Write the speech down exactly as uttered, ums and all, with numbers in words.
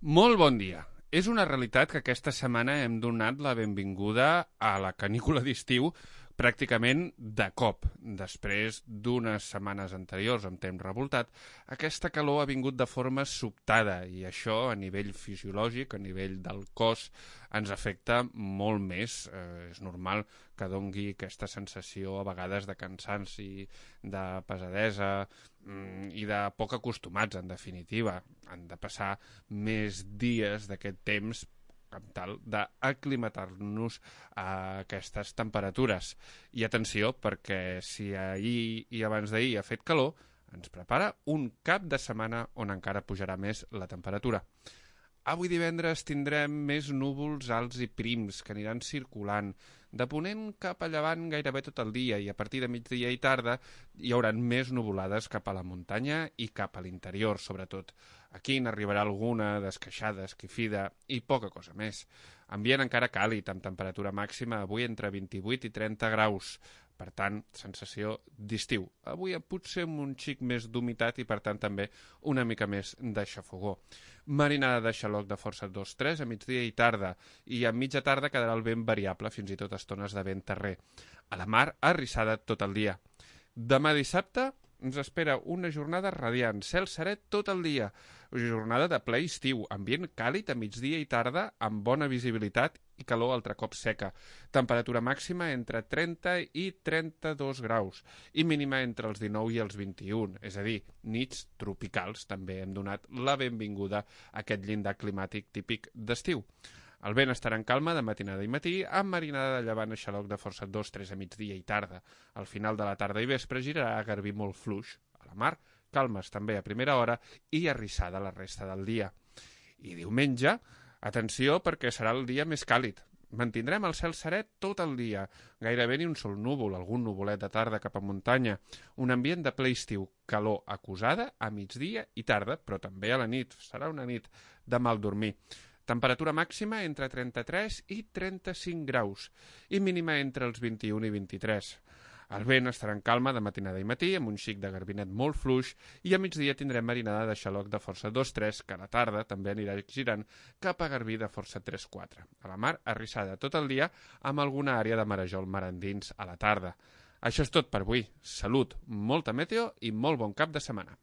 Molt bon dia. És una realitat que aquesta setmana hem donat la benvinguda a la canícula d'estiu pràcticament de cop. Després d'unes setmanes anteriors amb temps revoltat, aquesta calor ha vingut de forma sobtada i això a nivell fisiològic, a nivell del cos, ens afecta molt més. Eh, és normal que dongui aquesta sensació a vegades de cansanci, de pesadesa mm, i de poc acostumats, en definitiva. Han de passar més dies d'aquest temps amb tal d'aclimatar-nos a aquestes temperatures. I atenció, perquè si ahir i abans d'ahir ha fet calor, ens prepara un cap de setmana on encara pujarà més la temperatura. Avui divendres tindrem més núvols alts i prims que aniran circulant de ponent cap a llevant gairebé tot el dia i a partir de migdia i tarda hi haurà més nuvolades cap a la muntanya i cap a l'interior, sobretot. Aquí n'arribarà alguna d'esqueixada, esquifida i poca cosa més. Ambient encara càlid, amb temperatura màxima avui entre vint-i-vuit i trenta graus. Per tant, sensació d'estiu. Avui potser amb un xic més d'humitat i, per tant, també una mica més de xafogó. Marinada de xaloc de força dos tres a migdia i tarda, i a mitja tarda quedarà el vent variable, fins i tot estones de vent terrer. A la mar, arrissada tot el dia. Demà dissabte ens espera una jornada radiant, cel serè tot el dia, jornada de ple estiu, ambient càlid a migdia i tarda amb bona visibilitat i calor altre cop seca, temperatura màxima entre trenta i trenta-dos graus i mínima entre els dinou i els vint-i-un, és a dir, nits tropicals. També hem donat la benvinguda a aquest llindar climàtic típic d'estiu. El vent estarà en calma de matinada i matí, amb marinada de llevant a xaloc de força dos tres a migdia i tarda. Al final de la tarda i vespre girarà a garbí molt fluix. A la mar, calmes també a primera hora i arrissada la resta del dia. I diumenge, atenció perquè serà el dia més càlid. Mantindrem el cel serè tot el dia, gairebé ni un sol núvol, algun nuvolet de tarda cap a muntanya, un ambient de ple estiu, calor acusada a migdia i tarda, però també a la nit, serà una nit de mal dormir. Temperatura màxima entre trenta-tres i trenta-cinc graus i mínima entre els vint-i-un i vint-i-tres. El vent estarà en calma de matinada i matí amb un xic de garbinet molt fluix i a migdia tindrem marinada de xaloc de força dos tres que a la tarda també anirà girant cap a garbí de força tres quatre. A la mar, arrissada tot el dia amb alguna àrea de marejol mar endins a la tarda. Això és tot per avui. Salut, molta meteo i molt bon cap de setmana.